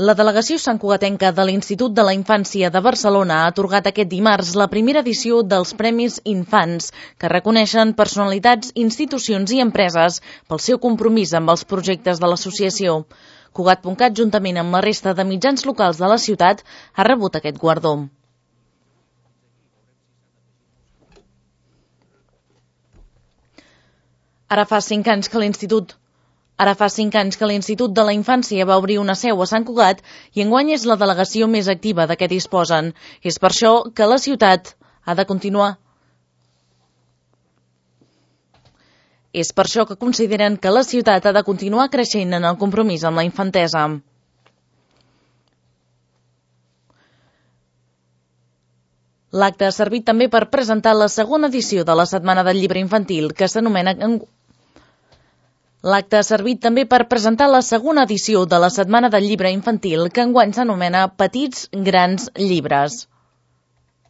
La delegació santcugatenca de l'Institut de la Infància de Barcelona ha atorgat aquest dimarts la primera edició dels Premis Infants, que reconeixen personalitats, institucions i empreses pel seu compromís amb els projectes de l'associació. Cugat.cat, juntament amb la resta de mitjans locals de la ciutat, ha rebut aquest guardó. Ara fa 5 anys que l'Institut de la Infància va obrir una seu a Sant Cugat i enguany és la delegació més activa de què disposen. És per això que la ciutat ha de continuar. És per això que consideren que la ciutat ha de continuar creixent en el compromís amb la infantesa. L'acte ha servit també per presentar la segona edició de la Setmana del Llibre Infantil, que s'anomena... L'acte ha servit també per presentar la segona edició de la Setmana del Llibre Infantil, que enguany s'anomena Petits Grans Llibres.